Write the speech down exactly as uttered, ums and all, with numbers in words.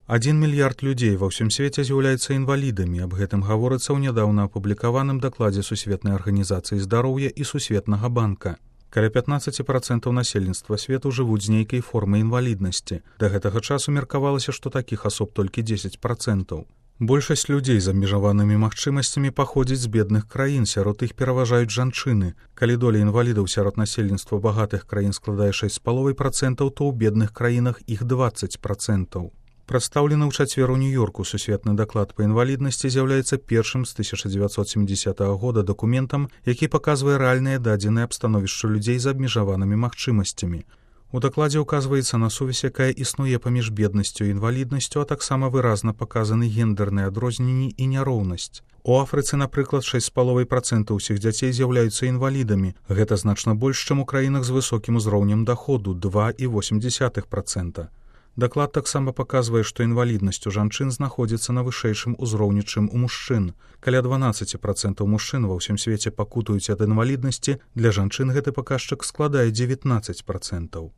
Адзін мільярд людзей ва ўсім свеце з'яўляецца інвалідамі. Аб гэтым гаворыцца ў нядаўна апублікаваным дакладзе Сусветнай арганізацыі здароўя і Сусветнага банка. Каля пятнаццаць працэнтаў насельніцтва свету жывуць з нейкай формай інваліднасці. Да гэтага часу меркавалася, што такіх асоб толькі дзесяць працэнтаў. Большасць людзей з абмежаванымі магчымасцямі паходзіць з бедных краін, сярод іх пераважаюць жанчыны. Калі доля інвалідаў сярод насельніцтва багатых краін складае шэсць з паловай працэнтаў, то ў бедных краінах іх дваццаць працэнтаў. Прадстаўлены ў чацвер у Нью-Йорку сусветны даклад па інваліднасці з'яўляецца першым з тысяча дзевяцьсот сямідзясятага года дакументам, які паказвае рэальныя дадзеныя аб становішчы людзей з абмежаванымі магчымасцямі. У дакладзе ўказваецца на сувязь, якая існуе паміж беднасцю і інваліднасцю, а таксама выразна паказаны гендэрныя адрозненні і няроўнасць. У Афрыцы, напрыклад, шэсць з паловай працэнтаў усіх дзяцей з'яўляюцца інвалідамі. Гэта значна больш, чым у краінах з высокім узроўнем даходу два і восем дзесятых працэнта. Даклад таксама паказвае, што інваліднасць у жанчын знаходзіцца на вышэйшым узроўні, чым у мужчын. Каля дванаццаць працэнтаў мужчын ва ўсім свеце пакутуюць ад інваліднасці, для жанчын гэты паказчык складае дзевятнаццаць працэнтаў.